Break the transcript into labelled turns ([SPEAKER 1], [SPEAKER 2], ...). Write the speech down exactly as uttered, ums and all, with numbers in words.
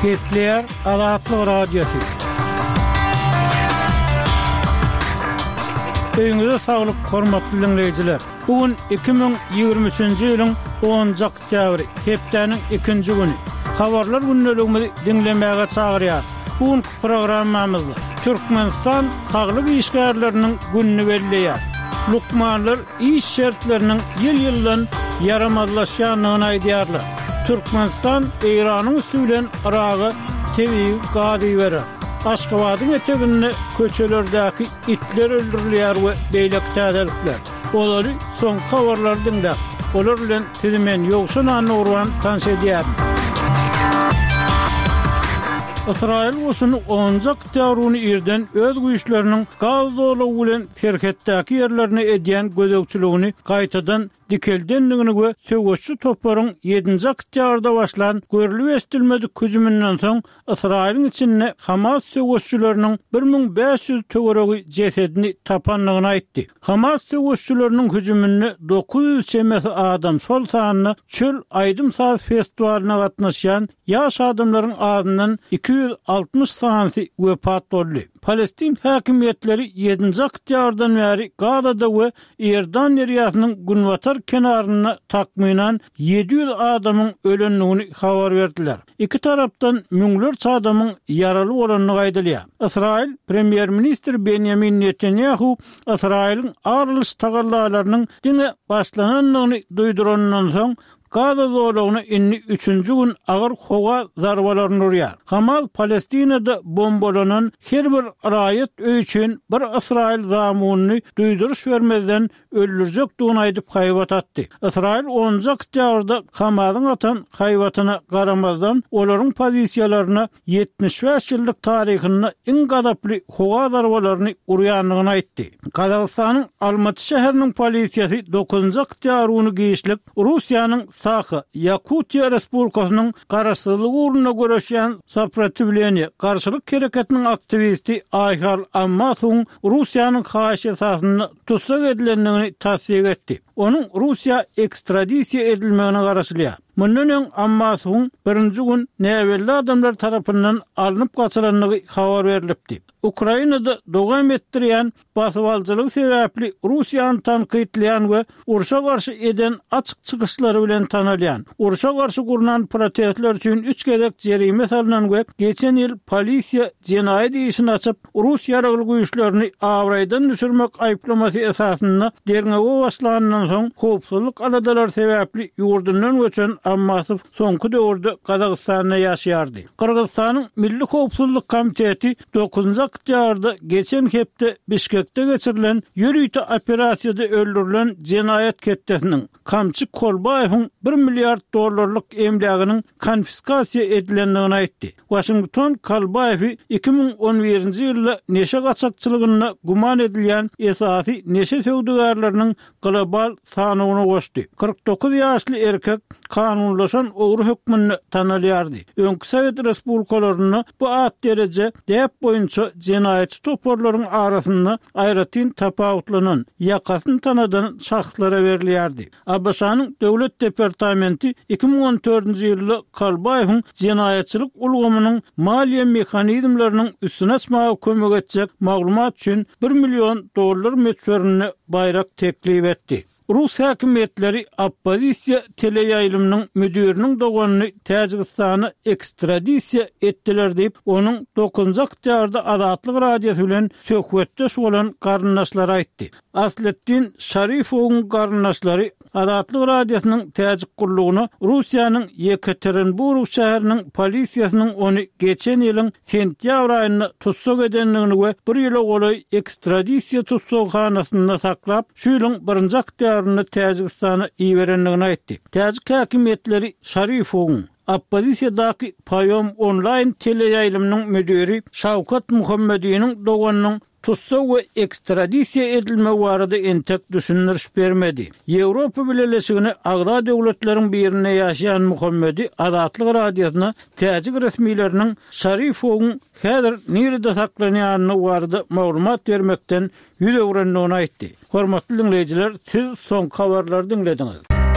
[SPEAKER 1] Gepleýär Azatlyk Radiosy. Öýüňize saglyk, hormatly diňleýjiler! Bu gün iki müň ýigrimi üçünji ýylyň onunjy oktýabry, hepdäniň ikinji güni. Habarlar gündeligimizi diňlemäge çagyrýarys. Bu günki programmamyzda Türkmenistan saglyk işgärleriniň gününi belleýär. Lukmanlar iş şertleriniň ýyl-ýyldan ýaramazlaşýandygyny aýdýarlar. Türkmenistan Eýranyň üsti bilen Yraga tebigy gaz iberer. Aşgabadyň eteginde köçelerdäki itler öldürilýär we beýleki täzelikler. Olary soňky habarlary diňläp, olar bilen sizi men Ýowşan Annagurban tanyş edýärin. Ysraýyl goşuny onunjy oktýabr güni irden öz güýçleriniň Gaza zolagy bilen serhetdäki ýerlerine edýän gözegçiligini gaýtadan dikeldendigini we söweşçi toparyň ýedinji oktýabrda başlan görlüp-eşidilmedik hüjüminden soň Ysraýylyň içinde Hamas söweşçileriniň bir müň bäş ýüz töweregi jesedini tapandygyny aýtdy. Hamas söweşçileriniň hüjüminde dokuz ýüz çemesi adam, şol sanda çöl aýdym-saz festiwalyna gatnaşýan ýaş adamlaryň azyndan iki ýüz altmyş sanysy wepat boldy. Palestin häkimiýetleri ýedinji oktýabrdan bäri Gazada we Iordan derýasynyň günbatar kenarynda takmynan ýedi ýüz adamyň ölendigini habar berdiler. Iki tarapdan müňlerçe adamyň ýaraly bolandygy aýdylýar. Ysraýyl Premýer-ministri Benýamin Netanýahu Ysraýylyň ar alyş tagallalarynyň diňe başlanandygyny duýduranyndan soň, Gaza zolagyna indi üçünji gün agyr howa zarbalaryny urýar. Hamas Palestinada bombalanan her bir raýat öýi üçin bir ysraýyl zamunyny duýduryş bermezden öldürjekdigini aýdyp haýbat atdy. Ysraýyl onunjy oktýabrda Hamasyň atan haýbatyna garamazdan, olaryň pozisiýalaryna ýetmiş bäş ýyllyk taryhynda iň gazaply howa zarbalaryny urýandygyny aýtdy. Gazagystanyň Almaty şäheriniň polisiýasy dokuzynjy oktýabr güni giçlik Russiýanyň Saha, Ýakutiýa Respublikasynyň garaşsyzlygy ugrunda göreşýän Soprotiwleniýe, garşylyk hereketiniň aktiwisti Aýhal Ammasowyň Russiýanyň haýyşy esasynda tussag edilendigini tassyk etdi. Onuň Russiýa ekstradisiýa edilmegine garaşylýar. Mundan öň Ammasowyň birinji gün näbelli adamlar tarapyndan alnyp gaçylandygy habar berlipdi. Ukrainada dowam etdirýän basybalyjylygy sebäpli Russiýany tankytlaýan we urşa garşy eden açyk çykyşlary bilen tanalýan, urşa garşy gurnan protestler üçin üç gezek jerime salnan we geçen ýyl polisiýa jenaýat işini açyp, rus ýaragly güýçlerini abraýdan düşürmek aýyplamasy esasynda derňewe başlanyndan soň howpsuzlyk aladalary sebäpli ýurdundan göçen Ammasow soňky döwürde Gazagystanda ýaşaýardy. Gyrgyzystanyň Milli howpsuzlyk komiteti dokuzynjy oktýabrda geçen hepde Bişkekde geçirilen ýörite operasiýada öldürilen jenaýat ketdesiniň, Kamçy Kolbaýewiň bir milliard dollarlyk emläginiň konfiskasiýa edilendigini aýtdy. Waşington Kolbaýewi iki müň on birinji ýylda neşe gaçakçylygynda güman edilýän esasy neşe söwdagärleriniň global sanawyna goşdy. Kyrk dokuz ýaşly erkek kanunlaşan ogry hökmünde tanalýardy. Öňki sowet respublikalarynda bu at-dereje däp boýunça jenaýatçy toparlaryň arasynda aýratyn tapawutlanan, ýakasyny tanadan şahslara berilýärdi. ABŞ-nyň Döwlet departamenti iki müň on dördünji ýylda Kolbaýewiň jenaýatçylyk ulgamynyň maliýe mehanizmleriniň üstüni açmaga kömek etjek maglumat üçin bir million dollar möçberinde baýrak teklip etdi. Rus häkimiýetleri oppozisiýa teleýaýlymynyň müdiriniň doganyny Täjigistana ekstradisiýa etdiler diýip, onuň dokuzynjy oktýabrda Azatlyk Radiosy bilen söhbetdeş bolan garyndaşlary aýtdy. Asletdin Şarifowyň garyndaşlary Azatlyk Radiosynyň täjik gullugyna Russiýanyň Ýekaterinburg şäheriniň polisiýasynyň ony geçen ýylyň sentýabr aýynda tussag edendigini we bir ýyla golaý ekstradisiýa tussaghanasynda saklap, şu ýylyň birinji oktýabrynda Täjigistana iberendigini aýtdy. Täjik häkimiýetleri Şarifowyň oppozisiýadaky Paýom onlaýn teleýaýlymynyň müdiri Şawkat Muhammediniň doganynyň tussag we ekstradisiýa edilmegi barada entek düşündiriş bermedi. Ýewropa Bileleşigine agza döwletleriň birinde ýaşaýan Muhammedi Azatlyk Radiosyna täjik resmileriniň Şarifowyň häzir nirede saklanýandygy barada maglumat bermekden ýüz öwrendigini aýtdy. Hormatly diňleýjiler, siz soňky habarlary diňlediňiz.